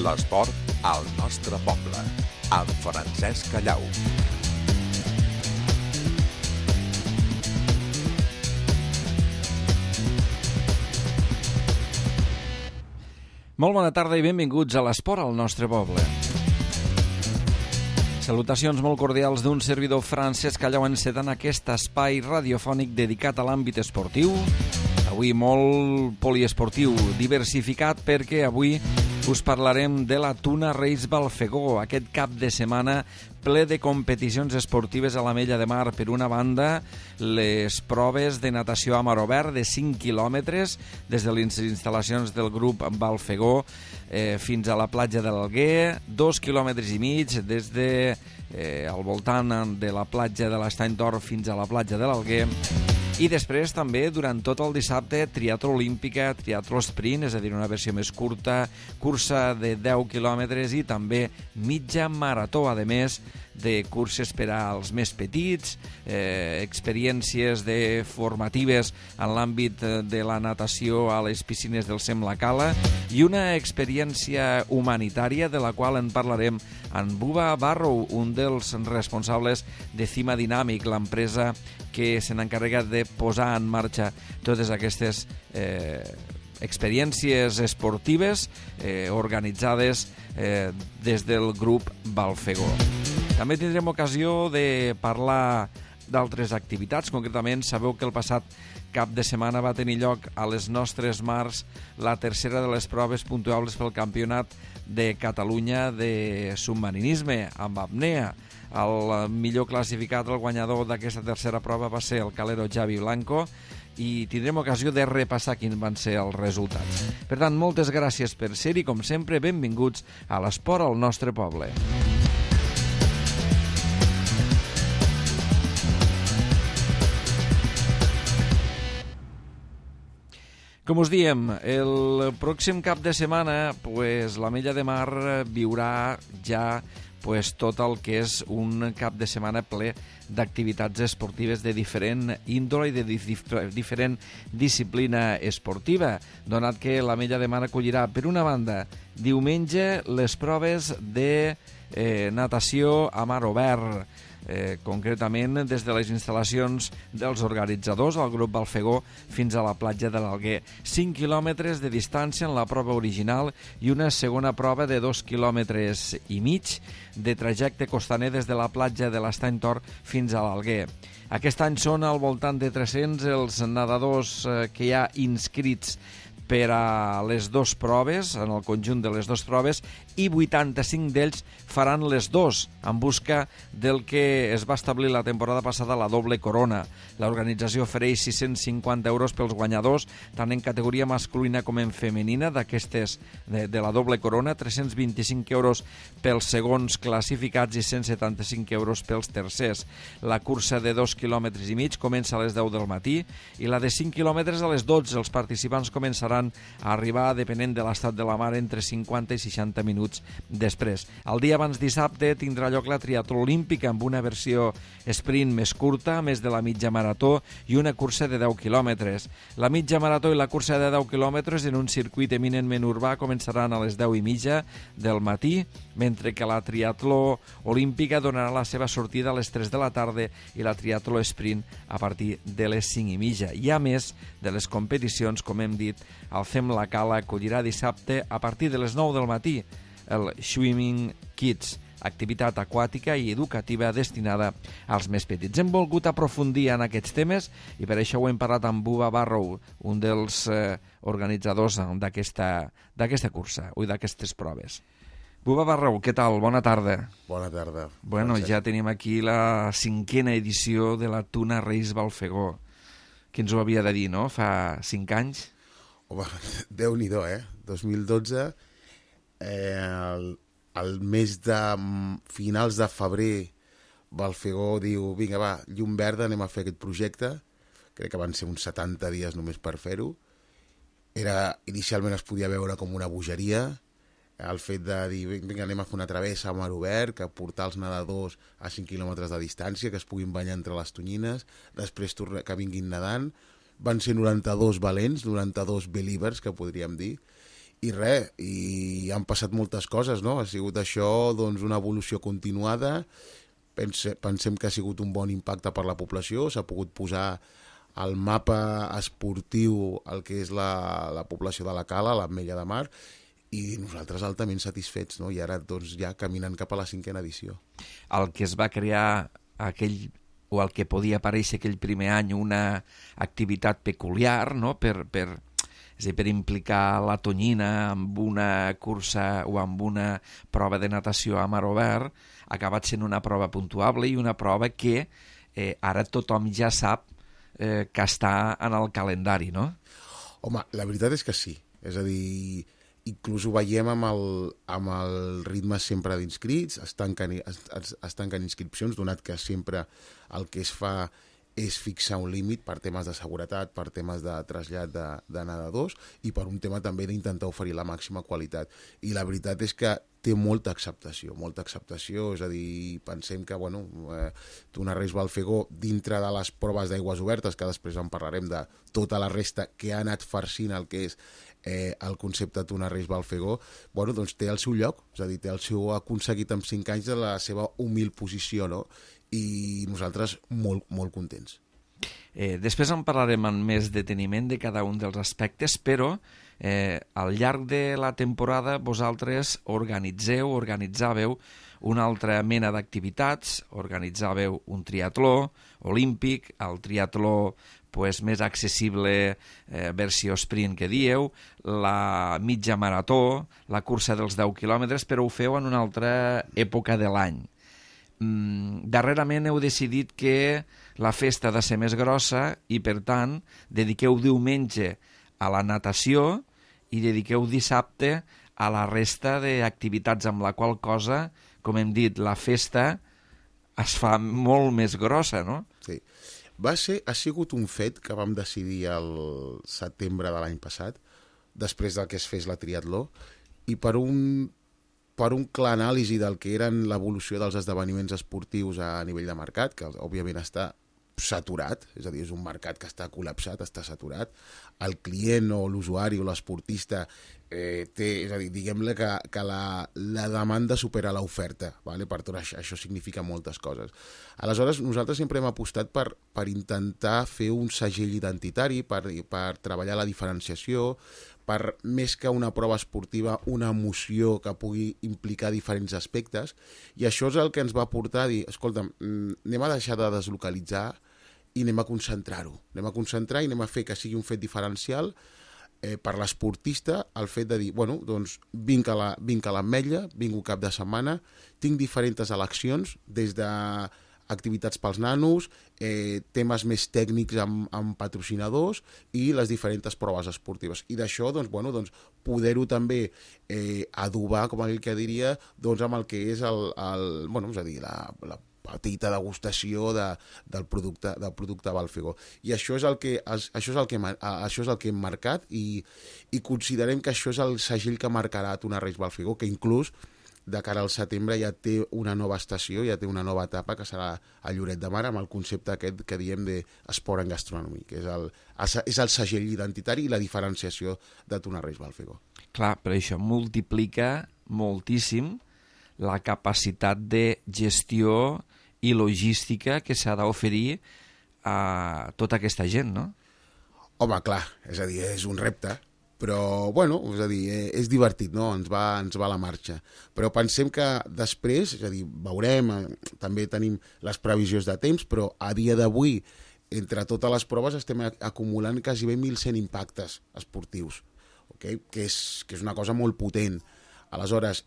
L'esport al nostre poble, amb Francesc Callau. Molt bona tarda i benvinguts a l'esport al nostre poble. Salutacions molt cordials d'un servidor Francesc Callau encetant aquest espai radiofònic dedicat a l'àmbit esportiu. Avui molt poliesportiu, diversificat, perquè avui us parlarem de la Tuna Reis Balfegó, aquest cap de setmana ple de competicions esportives a l'Ametlla de Mar. Per una banda, les proves de natació a mar obert de 5 quilòmetres des de les instal·lacions del grup Balfegó fins a la platja de l'Alguer, 2,5 quilòmetres des de al voltant de la platja de l'Estany d'Or fins a la platja de l'Alguer. I després també, durant tot el dissabte, triatló olímpica, triatló sprint, és a dir, una versió més curta, cursa de 10 quilòmetres i també mitja marató, a més de curses per als més petits, experiències formatives en l'àmbit de la natació a les piscines del Sem La Cala i una experiència humanitària de la qual en parlarem amb Buba Barrow, un dels responsables de Cima Dinàmic, l'empresa que se n'encarrega de posar en marxa totes aquestes experiències esportives organitzades des del grup Balfegó. També tindrem ocasió de parlar d'altres activitats. Concretament, sabeu que el passat cap de setmana va tenir lloc a les nostres mars la tercera de les proves puntuables pel Campionat de Catalunya de submarinisme amb apnea. El millor classificat, el guanyador d'aquesta tercera prova, va ser el calero Javi Blanco i tindrem ocasió de repassar quins van ser els resultats. Per tant, moltes gràcies per ser-hi, com sempre, benvinguts a l'esport al nostre poble. Com us diem, el pròxim cap de setmana l'Ametlla de Mar viurà ja tot el que és un cap de setmana ple d'activitats esportives de diferent índole i de diferent disciplina esportiva, donat que l'Ametlla de Mar acollirà, per una banda, diumenge les proves de natació a mar obert, concretament des de les instal·lacions dels organitzadors, el grup Balfegó, fins a la platja de l'Alguer. 5 quilòmetres de distància en la prova original i una segona prova de 2,5 quilòmetres de trajecte costaner des de la platja de l'Estany d'Or fins a l'Alguer. Aquest any són al voltant de 300 els nedadors que hi ha inscrits per a les dues proves, en el conjunt de les dues proves, i 85 d'ells faran les dues, en busca del que es va establir la temporada passada, la doble corona. L'organització ofereix 650 euros pels guanyadors, tant en categoria masculina com en femenina, d'aquestes de la doble corona, 325 euros pels segons classificats i 175 euros pels tercers. La cursa de 2,5 quilòmetres comença a les 10 del matí i la de 5 quilòmetres a les 12. Els participants començaran a arribar, depenent de l'estat de la mar, entre 50 i 60 minuts després. El dia abans dissabte tindrà lloc la triatló olímpica amb una versió sprint més curta, més de la mitja marató i una cursa de 10 quilòmetres. La mitja marató i la cursa de 10 quilòmetres en un circuit eminentment urbà començaran a les 10:30 del matí, mentre que la triatló olímpica donarà la seva sortida a les 3 de la tarda i la triatló sprint a partir de les 5:30. I a més de les competicions, com hem dit, el Sem La Cala acollirà dissabte a partir de les 9 del matí el Swimming Kids, activitat aquàtica i educativa destinada als més petits. Hem volgut aprofundir en aquests temes i per això ho hem parlat amb Buba Barrow, un dels organitzadors d'aquesta cursa o d'aquestes proves. Buba Barrow, què tal? Bona tarda. Bona tarda. Bueno, ja tenim aquí la 5a edició de la Tuna Reis Balfegó. Qui ens ho havia de dir, no? Fa 5 anys? Home, Déu-n'hi-do, 2012, al mes de finals de febrer, Balfegó diu, vinga, va, llum verda, anem a fer aquest projecte. Crec que van ser uns 70 dies només per fer-ho. Inicialment es podia veure com una bogeria, el fet de dir, vinga, anem a fer una travessa a mar obert, que portar els nedadors a 5 quilòmetres de distància, que es puguin banyar entre les tonyines, després que vinguin nedant. Van ser 92 valents, 92 believers, que podríem dir, I res, i han passat moltes coses, no? Ha sigut això, doncs, una evolució continuada. Pensem que ha sigut un bon impacte per la població, s'ha pogut posar al mapa esportiu el que és la població de la Cala, l'Ametlla de Mar, i nosaltres altament satisfets, no? I ara doncs, ja caminant cap a la 5a edició. El que es va crear o el que podia aparèixer aquell primer any una activitat peculiar, no? És a dir, per implicar la tonyina amb una cursa o amb una prova de natació a mar obert, ha acabat sent una prova puntuable i una prova que ara tothom ja sap que està en el calendari, no? Home, la veritat és que sí. És a dir, inclús ho veiem amb el ritme sempre d'inscrits, es tanquen inscripcions, donat que sempre el que es fa és fixar un límit per temes de seguretat, per temes de trasllat de nedadors i per un tema també d'intentar oferir la màxima qualitat. I la veritat és que té molta acceptació, és a dir, pensem que, bueno, Tuna Reis Balfegó, dintre de les proves d'aigües obertes, que després en parlarem de tota la resta que ha anat farcint el que és el concepte Tuna Reis Balfegó, bueno, doncs té el seu lloc, és a dir, té el seu aconseguit en 5 anys de la seva humil posició, no? I nosaltres molt, molt contents. Després en parlarem amb més deteniment de cada un dels aspectes, però al llarg de la temporada vosaltres organitzàveu una altra mena d'activitats, organitzàveu un triatló olímpic, el triatló més accessible, versió sprint que dieu, la mitja marató, la cursa dels 10 quilòmetres, però ho feu en una altra època de l'any. Darrerament heu decidit que la festa ha de ser més grossa i, per tant, dediqueu diumenge a la natació i dediqueu dissabte a la resta d'activitats, amb la qual cosa, com hem dit, la festa es fa molt més grossa, no? Sí. Ha sigut un fet que vam decidir el setembre de l'any passat, després del que es fes la triatló, i per un clar anàlisi del que eren l'evolució dels esdeveniments esportius a nivell de mercat, que òbviament està saturat, és a dir, és un mercat que està col·lapsat, està saturat. El client o l'usuari o l'esportista és a dir, diguem-ne que la demanda supera l'oferta, ¿vale? Per tot això significa moltes coses. Aleshores, nosaltres sempre hem apostat per intentar fer un segell identitari, per treballar la diferenciació, per més que una prova esportiva, una emoció que pugui implicar diferents aspectes, i això és el que ens va portar a dir, escolta'm, anem a deixar de deslocalitzar i anem a concentrar-ho. Anem a concentrar i anem a fer que sigui un fet diferencial per l'esportista, el fet de dir, bueno, doncs vinc a l'Ametlla, vinc un cap de setmana, tinc diferents eleccions, des de activitats pels nanos, temes més tècnics amb patrocinadors i les diferents proves esportives. I d'això, doncs, bueno, doncs, poder-ho també adobar, com aquell que diria, doncs, amb el que és bueno, és a dir, la petita degustació del producte Balfegó. I això és el que hem marcat i considerem que això és el segell que marcarà Tuna Reis Balfegó, que inclús de cara al setembre ja té una nova estació, ja té una nova etapa, que serà a Lloret de Mar, amb el concepte aquest que diem d'esport en gastronomia, que és el segell identitari i la diferenciació de Tuna Reis Balfegó. Clar, però això multiplica moltíssim la capacitat de gestió i logística que s'ha d'oferir a tota aquesta gent, no? Home, clar, és a dir, és un repte, però, bueno, és a dir, és divertit, no? Ens va a la marxa. Però pensem que després, és a dir, veurem, també tenim les previsions de temps, però a dia d'avui, entre totes les proves, estem acumulant quasi 1.100 impactes esportius, okay? que és una cosa molt potent. Aleshores,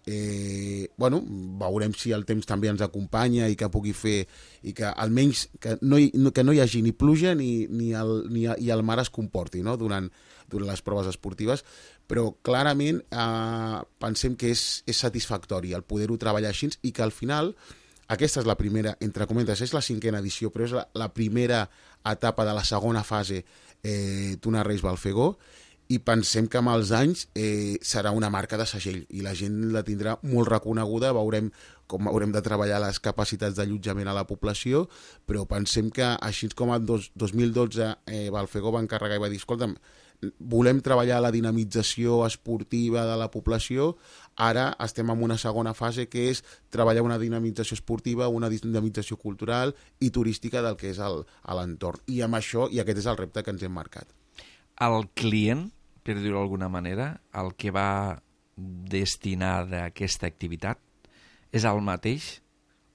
bueno, veurem si el temps també ens acompanya i que pugui fer, i que almenys que no hi hagi ni pluja ni el mar es comporti, no? durant les proves esportives, però clarament pensem que és satisfactori el poder-ho treballar així i que al final, aquesta és la primera, entre cometes, és la 5a edició, però és la primera etapa de la segona fase Tuna Reis Balfegó, i pensem que amb els anys serà una marca de segell i la gent la tindrà molt reconeguda, veurem com haurem de treballar les capacitats d'allotjament a la població, però pensem que així com el 2012 Balfegó va encarregar i va dir, escolta'm, volem treballar la dinamització esportiva de la població, ara estem en una segona fase que és treballar una dinamització esportiva, una dinamització cultural i turística del que és l'entorn. I amb això, i aquest és el repte que ens hem marcat. El client, per dir-ho d'alguna manera, el que va destinar d'aquesta activitat, és el mateix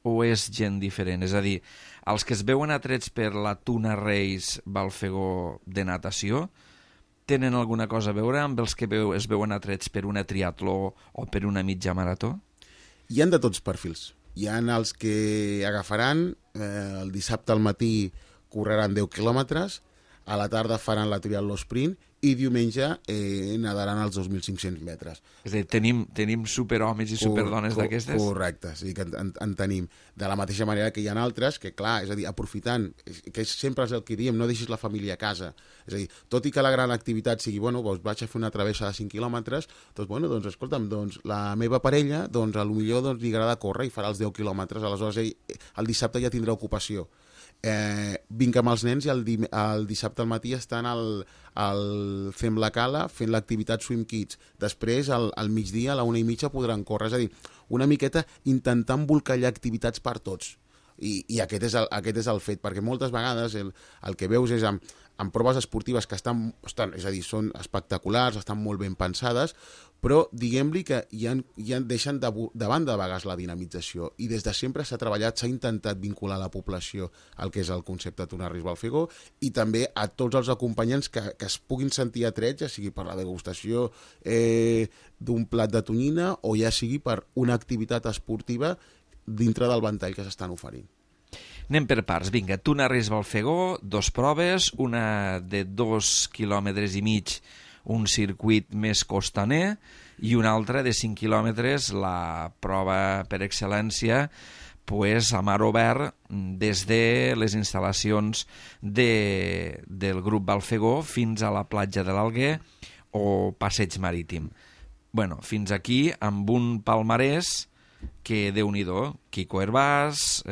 o és gent diferent? És a dir, els que es veuen atrets per la Tuna Reis Balfegó de natació tenen alguna cosa a veure amb els que es veuen atrets per una triatló o per una mitja marató? Hi han de tots perfils. Hi han els que agafaran, el dissabte al matí correran 10 quilòmetres, a la tarda faran la triatló sprint i diumenge nadaran els 2.500 metres. És a dir, tenim superhomes i superdones d'aquestes? Correcte, sí que en tenim. De la mateixa manera que hi ha altres que, clar, és a dir, aprofitant, que sempre és el que diem, no deixis la família a casa. És a dir, tot i que la gran activitat sigui, bueno, doncs vaig a fer una travessa de 5 quilòmetres, doncs, bueno, doncs, escolta'm, doncs, la meva parella, doncs, potser doncs, li agrada córrer i farà els 10 quilòmetres, aleshores el dissabte ja tindrà ocupació. Vinc amb els nens i el dissabte al matí estan fem la cala, fent l'activitat Swim Kids. Després, al migdia, a la 1:30, podran córrer. És a dir, una miqueta intentant embolcallar activitats per tots. I aquest és el fet, perquè moltes vegades el que veus és amb proves esportives que estan, és a dir, són espectaculars, estan molt ben pensades, però diguem-li que ja deixen de banda a vegades la dinamització i des de sempre s'ha treballat, s'ha intentat vincular la població al que és el concepte Tuna Reis Balfegó i també a tots els acompanyants que es puguin sentir atrets, ja sigui per la degustació d'un plat de tonyina o ja sigui per una activitat esportiva dintre del ventall que s'estan oferint. Anem per parts. Vinga, Tuna Reis Balfegó, 2 proves, una de 2,5 quilòmetres, un circuit més costaner, i una altra de 5 quilòmetres, la prova per excel·lència, pues, a mar obert, des de les instal·lacions del grup Balfegó fins a la platja de l'Alguer o passeig marítim. Bueno, fins aquí amb un palmarès que Déu-n'hi-do, Quico Hervás,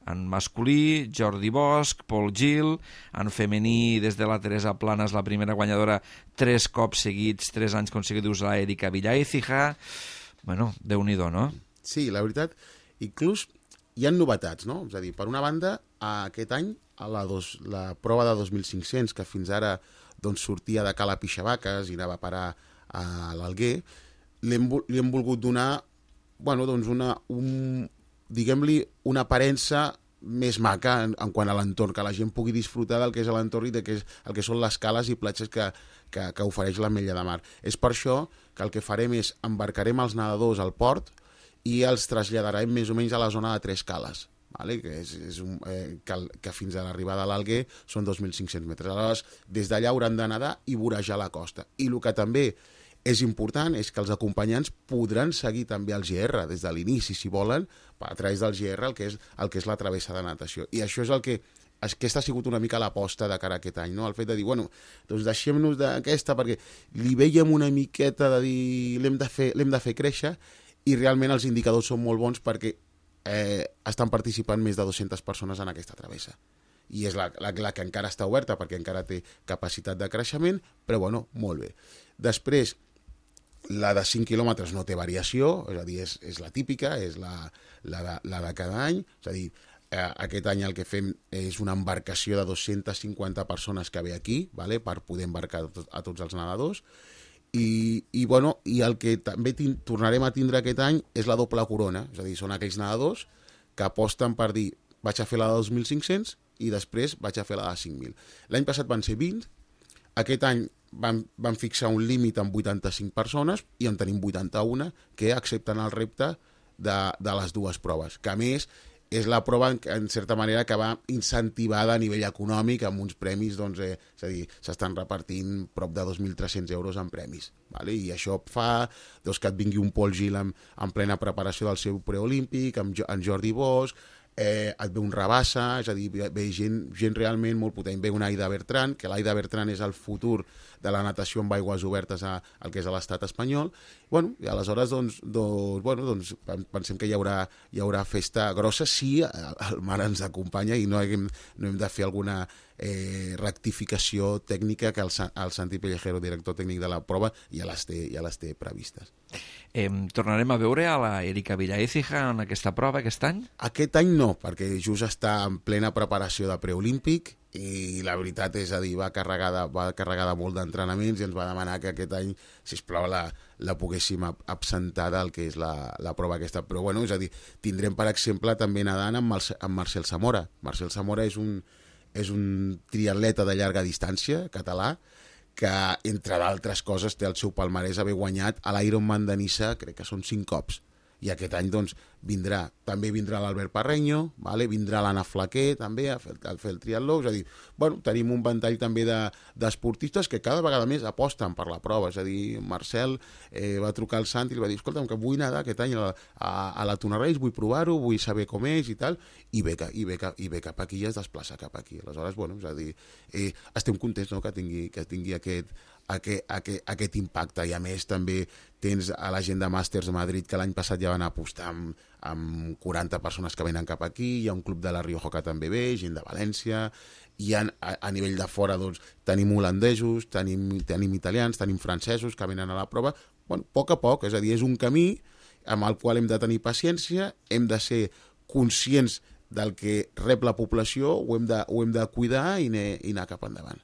en masculí, Jordi Bosch, Pol Gil, en femení des de la Teresa Planas, la primera guanyadora 3 cops seguits, 3 anys consecutius, la Erika Villaécija. Bueno, Déu-n'hi-do, no? Sí, la veritat, inclús hi ha novetats, no? És a dir, per una banda, aquest any, la prova de 2.500, que fins ara doncs, sortia de Cala Pixabaques i anava a parar a l'Alguer, li hem volgut donar doncs diguem-li, una aparença més maca en quant a l'entorn, que la gent pugui disfrutar del que és l'entorn i del que són les cales i platges que ofereix l'Ametlla de Mar. És per això que el que farem és embarcarem els nedadors al port i els traslladarem més o menys a la zona de 3 cales, vale? Que fins a l'arribada a l'Alguer són 2.500 metres. Aleshores, des d'allà hauran de nedar i vorejar la costa. I el que també és important és que els acompanyants podran seguir també el GR des de l'inici, si volen, a través del GR, el que és la travessa de natació. I això és aquesta ha sigut una mica l'aposta de cara a aquest any, no? El fet de dir, bueno, doncs deixem-nos d'aquesta perquè li veiem una miqueta de dir l'hem de fer créixer i realment els indicadors són molt bons perquè estan participant més de 200 persones en aquesta travessa. I és la que encara està oberta perquè encara té capacitat de creixement, però bueno, molt bé. Després, la de 5 quilòmetres no té variació, és a dir, és la típica, és la de cada any, és a dir, aquest any el que fem és una embarcació de 250 persones que ve aquí, vale, per poder embarcar a tots els nedadors, i el que també tornarem a tindre aquest any és la doble corona, és a dir, són aquells nedadors que aposten per dir vaig a fer la de 2.500 i després vaig a fer la de 5.000. L'any passat van ser 20, aquest any van fixar un límit amb 85 persones i en tenim 81 que accepten el repte de les dues proves, que a més és la prova en certa manera que va incentivada a nivell econòmic amb uns premis, doncs, és a dir, s'estan repartint prop de 2.300 euros en premis, vale? I això fa que et vingui un Pol Gil en plena preparació del seu preolímpic, amb en Jordi Bosch, et ve un Rabassa, és a dir, ve gent realment molt potent. Ve un Aida Bertran, que l'Aida Bertran és el futur de la natació amb aigües obertes al que és a l'estat espanyol. Bueno, i aleshores doncs, pensem que hi haurà festa grossa si el mar ens acompanya i no hem de fer alguna rectificació tècnica que el Santi Pellejero, director tècnic de la prova, ja les té previstes. Tornarem a veure a la Erika Villaécija en aquesta prova aquest any? Aquest any no, perquè just està en plena preparació de preolímpic i la veritat és a dir, va carregada molt d'entrenaments i ens va demanar que aquest any, sisplau, la poguéssim absentar del que és la prova aquesta. Però bueno, és a dir, tindrem per exemple també nedant amb Marcel Zamora. Marcel Zamora és un triatleta de llarga distància català que, entre d'altres coses, té el seu palmarès haver guanyat a l'Ironman de Niça, crec que són 5 cops. I aquest any doncs també vindrà l'Albert Parreño, vale? Vindrà l'Anna Flaquer també a fer el triatló, és a dir, bueno, tenim un ventall també d'esportistes que cada vegada més aposten per la prova, és a dir, Marcel va trucar al Santi i li va dir, escolta'm, que vull nedar aquest any a la Tunarells, vull provar-ho, vull saber com és i tal, i ve cap aquí i es desplaça cap aquí. Aleshores, bueno, és a dir, estem contents, no?, que tingui aquest impacte, i a més també tens a la gent de Màsters de Madrid que l'any passat ja van apostar amb 40 persones que venen cap aquí, hi ha un club de la Rioja que també ve, gent de València, i a nivell de fora doncs, tenim holandesos, tenim italians, tenim francesos que venen a la prova. Bueno, a poc, és a dir, és un camí amb el qual hem de tenir paciència, hem de ser conscients del que rep la població, ho hem de cuidar i anar cap endavant.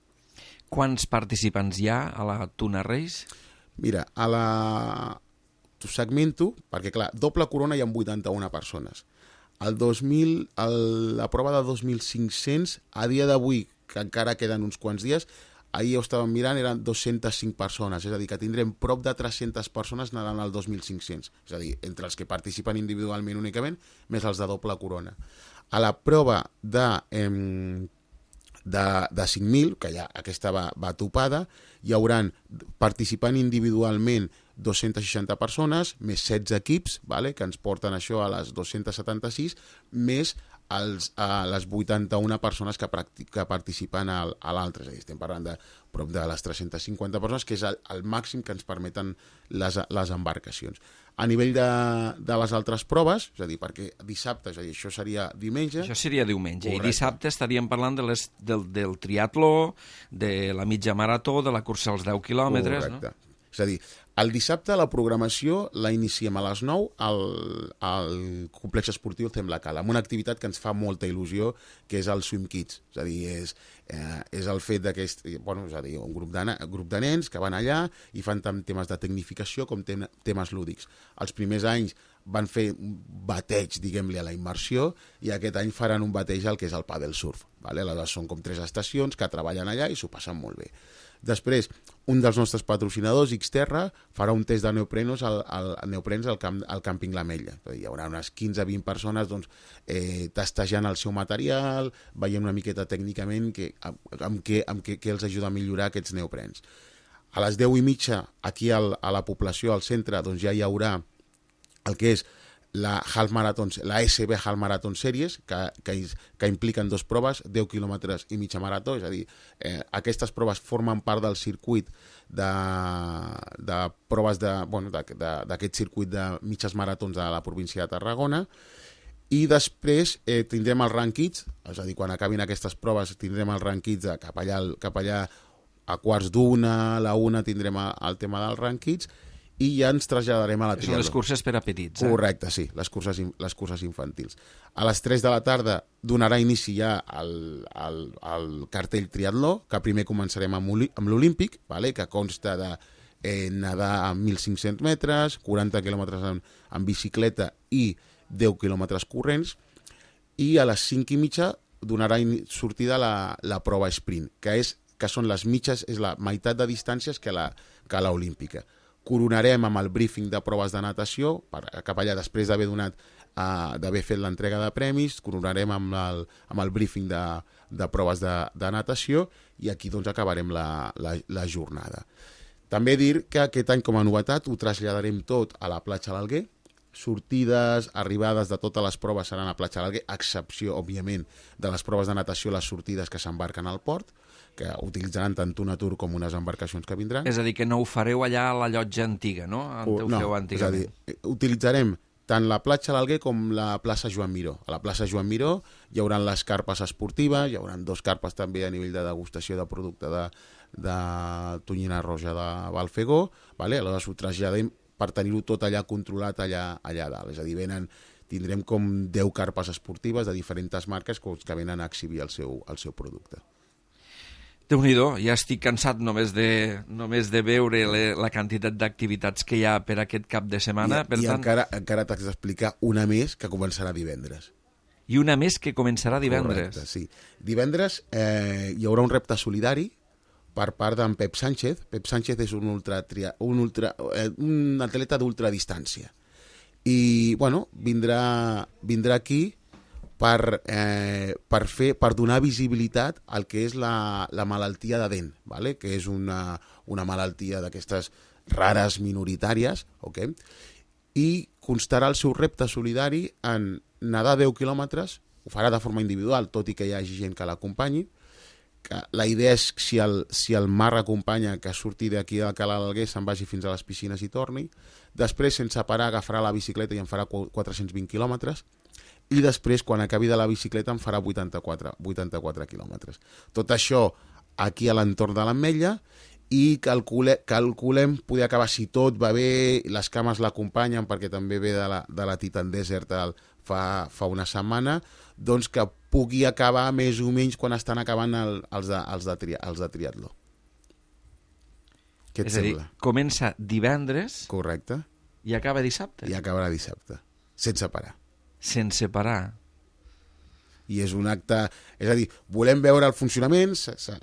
Quants participants hi ha a la Tunarells? Mira, t'ho segmento, perquè clar, doble corona hi ha 81 persones. La prova de 2.500, a dia d'avui, que encara queden uns quants dies, ahir ho estàvem mirant, eren 205 persones, és a dir, que tindrem prop de 300 persones nedant al 2.500, és a dir, entre els que participen individualment únicament, més els de doble corona. A la prova de 5.000, que ja aquesta va topada, hi hauran participant individualment 260 persones, més 16 equips, vale, que ens porten això a les 276, més les 81 persones que participen a l'altre. És a dir, estem parlant de prop de les 350 persones, que és el màxim que ens permeten les embarcacions. A nivell de les altres proves, és a dir, perquè dissabte, és a dir, això seria diumenge. Això seria diumenge. Correcte. I dissabte estaríem parlant del triatló, de la mitja marató, de la cursa als 10 quilòmetres. Correcte. No? És a dir, el dissabte la programació la iniciem a les 9 al complex esportiu Tem la Cala, amb una activitat que ens fa molta il·lusió, que és el Swim Kids. És a dir, és el fet d'aquest, bueno, és a dir, un grup de nens que van allà i fan tant temes de tecnificació com temes lúdics. Els primers anys van fer un bateig, diguem-li, a la immersió, i aquest any faran un bateig al que és el paddle surf. Vale? Aleshores són com 3 estacions que treballen allà i s'ho passen molt bé. Després, un dels nostres patrocinadors, Xterra, farà un test de neoprens al càmping L'Ametlla. Hi haurà unes 15-20 persones doncs, testejant el seu material, veient una miqueta tècnicament amb què els ajuda a millorar aquests neoprens. A les 10:30, aquí a la població, al centre, doncs ja hi haurà el que és la SB Half Marathon Series, que impliquen 2 proves, 10 quilòmetres i mitja marató, és a dir, aquestes proves formen part del circuit de proves d'aquest circuit de mitges maratons de la província de Tarragona, i després tindrem els rankings, és a dir, quan acabin aquestes proves tindrem els rankings cap allà a 12:15, a la 1 tindrem el tema dels rankings, i ja ens traslladarem a la triatló. Són les curses per a petits, Correcte, sí, les curses infantils. A les 3 de la tarda donarà inici ja el cartell triatló, que primer començarem amb l'Olímpic, vale? Que consta de nedar a 1.500 metres, 40 quilòmetres en bicicleta i 10 quilòmetres corrents, i a les 5:30 donarà sortida la prova sprint, que són les mitges, és la meitat de distàncies que l'olímpica. Coronarem amb el briefing de proves de natació, cap allà després d'haver fet l'entrega de premis, coronarem amb el briefing de proves de natació, i aquí doncs acabarem la jornada. També dir que aquest any, com a novetat, ho traslladarem tot a la platja de l'Alguer, sortides, arribades de totes les proves seran a Platja de l'Alguer, a excepció, òbviament, de les proves de natació, les sortides que s'embarquen al port, que utilitzaran tant una tour com unes embarcacions que vindran. És a dir, que no ho fareu allà a la llotja antiga, no? On ho feu antigament. És a dir, utilitzarem tant la platja de l'Alguer com la plaça Joan Miró. A la plaça Joan Miró hi haurà les carpes esportives, hi haurà 2 carpes també a nivell de degustació de producte de tonyina roja de Balfegó, vale? Aleshores ho traslladem per tenir-ho tot allà controlat allà dalt. És a dir, tindrem com 10 carpes esportives de diferents marques que venen a exhibir el seu producte. Déu-n'hi-do, ja estic cansat només de veure la quantitat d'activitats que hi ha per aquest cap de setmana. I encara t'haig d'explicar una més que començarà divendres. I una més que començarà divendres. Correcte, sí. Divendres hi haurà un repte solidari per part d'en Pep Sánchez. Pep Sánchez és un atleta d'ultradistància. I, bueno, vindrà aquí per donar visibilitat al que és la malaltia de dent, ¿vale? Que és una malaltia d'aquestes rares minoritàries, okay? I constarà el seu repte solidari en nedar 10 quilòmetres, ho farà de forma individual, tot i que hi hagi gent que l'acompanyi. La idea és, si el mar acompanya, que surti d'aquí del Cala de l'Alguer, se'n vagi fins a les piscines i torni. Després, sense parar, agafarà la bicicleta i en farà 420 quilòmetres. I després, quan acabi de la bicicleta, en farà 84 quilòmetres. Tot això aquí a l'entorn de l'Ametlla, i calculem poder acabar, si tot va bé, les cames l'acompanyen, perquè també ve de la Titan Desert fa una setmana, doncs que pugui acabar més o menys quan estan acabant els de triatló. Què et sembla? Comença divendres. Correcte. I acaba dissabte. I acabarà dissabte, sense parar. Sense parar. I és un acte... És a dir, volem veure el funcionament,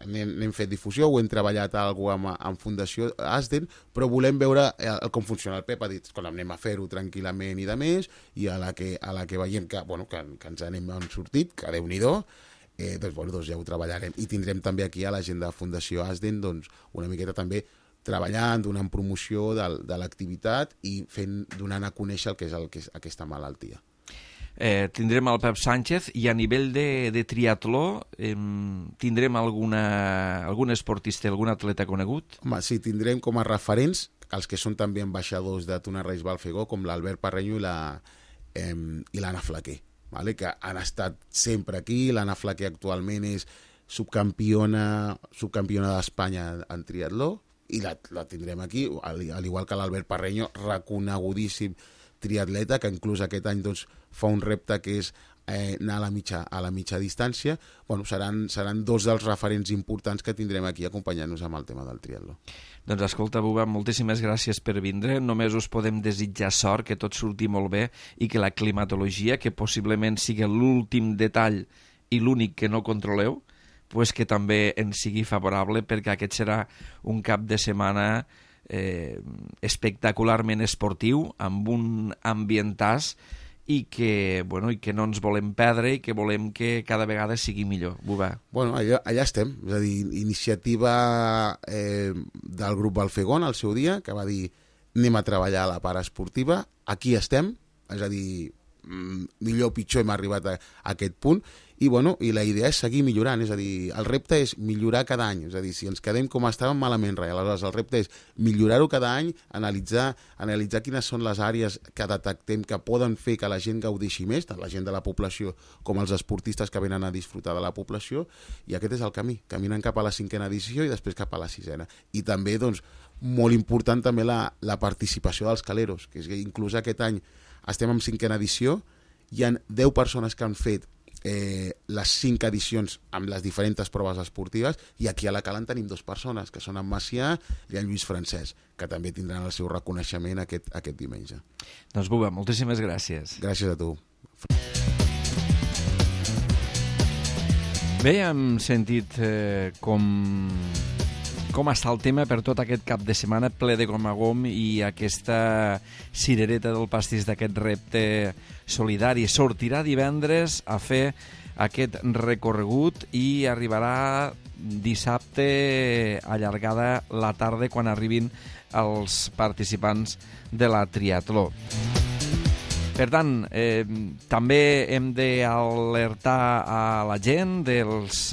n'hem fet difusió, ho hem treballat amb Fundació Asden, però volem veure com funciona. El Pep ha dit, escolta, anem a fer-ho tranquil·lament i de més, i a la que veiem que ens n'hem sortit, que Déu-n'hi-do, doncs ja ho treballarem. I tindrem també aquí a la gent de Fundació Asden una miqueta també treballant, donant promoció de l'activitat i donant a conèixer el que és aquesta malaltia. Tindrem el Pep Sánchez, i a nivell de triatló tindrem algun esportista, algun atleta conegut? Home, sí, tindrem com a referents els que són també ambaixadors de Tuna Reis Balfegó, com l'Albert Parreño i l'Anna Flaquer, ¿vale? Que han estat sempre aquí. L'Anna Flaquer actualment és subcampiona d'Espanya en triatló, i la tindrem aquí, al igual que l'Albert Parreño, reconegudíssim triatleta, que inclús aquest any fa un repte que és anar a la mitja distància. Bueno, seran dos dels referents importants que tindrem aquí acompanyant-nos amb el tema del triatló. Doncs escolta, Buba, moltíssimes gràcies per vindre. Només us podem desitjar sort, que tot surti molt bé i que la climatologia, que possiblement sigui l'últim detall i l'únic que no controleu, pues que també ens sigui favorable, perquè aquest serà un cap de setmana espectacularment esportiu, amb un ambientàs, i que no ens volem perdre i que volem que cada vegada sigui millor. Buba. Bueno, allà estem. És a dir, iniciativa del grup Balfegón al seu dia, que va dir anem a treballar a la part esportiva. Aquí estem, és a dir, millor o pitjor hem arribat a aquest punt, i la idea és seguir millorant. És a dir, el repte és millorar cada any. És a dir, si ens quedem com estàvem, malament res. Aleshores, el repte és millorar-ho cada any, analitzar quines són les àrees que detectem que poden fer que la gent gaudeixi més, tant la gent de la població com els esportistes que venen a disfrutar de la població, i aquest és el camí. Caminen cap a la 5a edició i després cap a la 6a. I també, molt important també la participació dels caleros, que és que inclús aquest any estem en 5a edició, hi ha 10 persones que han fet les 5 edicions amb les diferents proves esportives, i aquí a la Cala en tenim 2 persones, que són en Macià i en Lluís Francesc, que també tindran el seu reconeixement aquest diumenge. Doncs Buba, moltíssimes gràcies. Gràcies a tu. Bé, hem sentit com està el tema per tot aquest cap de setmana ple de gom a gom, i aquesta cirereta del pastís d'aquest repte solidari sortirà divendres a fer aquest recorregut i arribarà dissabte allargada la tarda quan arribin els participants de la triatló. Per tant, també hem d'alertar a la gent dels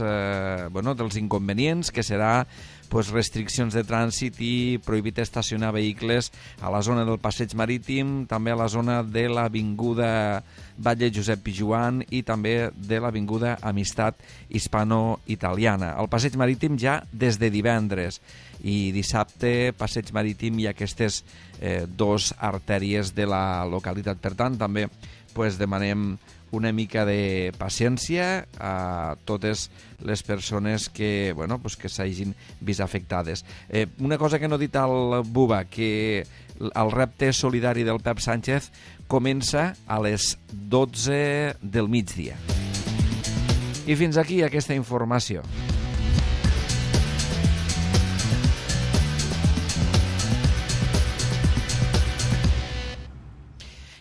inconvenients, que serà restriccions de trànsit i prohibit estacionar vehicles a la zona del Passeig Marítim, també a la zona de l'Avinguda Batlle Josep Pijuan i també de l'Avinguda Amistat Hispano-Italiana. El Passeig Marítim ja des de divendres, i dissabte Passeig Marítim i aquestes dos artèries de la localitat. Per tant, també demanem una mica de paciència a totes les persones que s'hagin vist afectades. Una cosa que no ha dit el Buba, que el repte solidari del Pep Sánchez comença a les 12 del migdia. I fins aquí aquesta informació.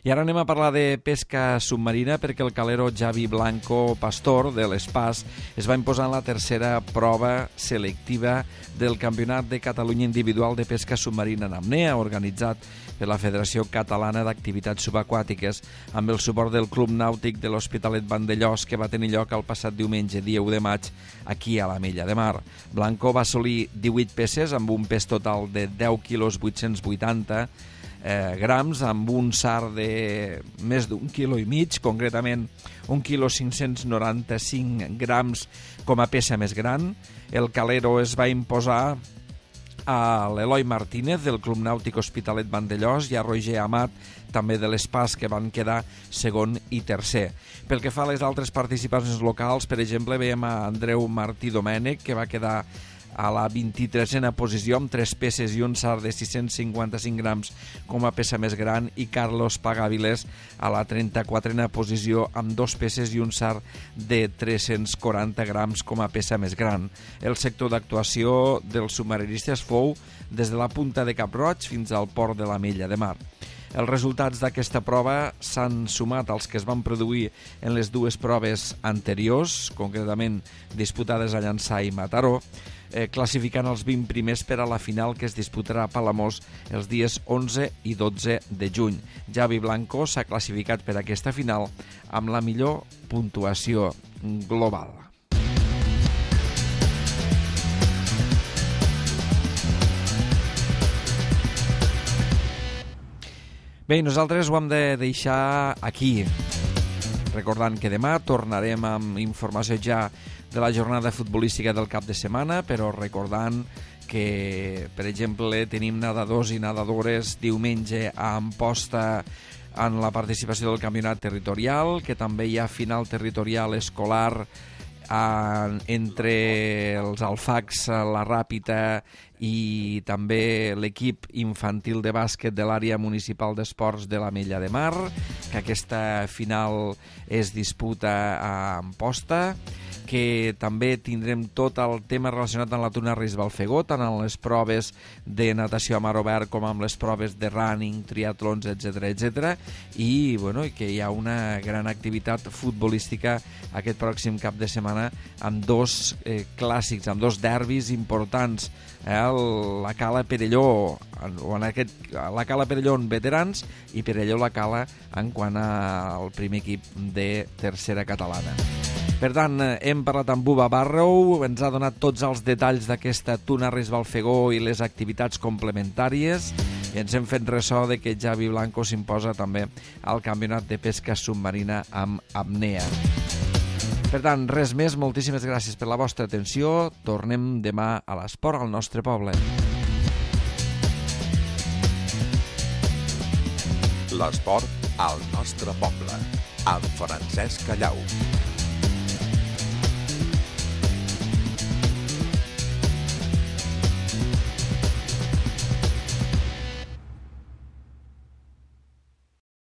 I ara anem a parlar de pesca submarina, perquè el calero Javi Blanco Pastor de l'Espàs es va imposar en la tercera prova selectiva del Campionat de Catalunya Individual de Pesca Submarina en apnea, organitzat per la Federació Catalana d'Activitats Subaquàtiques, amb el suport del Club Nàutic de l'Hospitalet Vandellòs, que va tenir lloc el passat diumenge, dia 1 de maig, aquí a l'Ametlla de Mar. Blanco va assolir 18 peces amb un pes total de 10 quilos 880 grams, amb un SAR de més d'1,5 quilo, concretament 1 quilo 595 grams com a peça més gran. El calero es va imposar a l'Eloi Martínez del Club Nàutic Hospitalet Vandellòs i a Roger Amat, també de l'Espàs, que van quedar segon i tercer. Pel que fa a les altres participacions locals, per exemple, veiem a Andreu Martí Domènech, que va quedar a la 23a posició amb 3 peces i un SAR de 655 grams com a peça més gran, i Carlos Pagaviles a la 34a posició amb 2 peces i un SAR de 340 grams com a peça més gran. El sector d'actuació dels submarinistes fou des de la punta de Cap-roig fins al port de l'Ametlla de Mar. Els resultats d'aquesta prova s'han sumat als que es van produir en les dues proves anteriors, concretament disputades a Llançà i Mataró, classificant els 20 primers per a la final que es disputarà a Palamós els dies 11 i 12 de juny. Javi Blanco s'ha classificat per aquesta final amb la millor puntuació global. Bé, nosaltres ho hem de deixar aquí, recordant que demà tornarem amb informació ja de la jornada futbolística del cap de setmana, però recordant que, per exemple, tenim nedadors i nedadores diumenge a Amposta en la participació del campionat territorial, que també hi ha final territorial escolar entre els Alfacs, la Ràpita i també l'equip infantil de bàsquet de l'àrea municipal d'esports de l'Ametlla de Mar, que aquesta final es disputa a Amposta, que també tindrem tot el tema relacionat amb la Tuna Reis Balfegó, tant en les proves de natació a mar obert com amb les proves de running, triatlons, etc. I que hi ha una gran activitat futbolística aquest pròxim cap de setmana amb dos clàssics, amb dos derbis importants, la Cala Perelló, la Cala Perelló en veterans i Perelló la Cala en quant al primer equip de tercera catalana. Per tant, hem parlat amb Buba Barrow, ens ha donat tots els detalls d'aquesta Tuna Reis Balfegó i les activitats complementàries, i ens hem fet ressò de que Javi Blanco s'imposa també al campionat de pesca submarina amb apnea. Per tant, res més, moltíssimes gràcies per la vostra atenció. Tornem demà a l'esport al nostre poble. L'esport al nostre poble, amb Francesc Callau.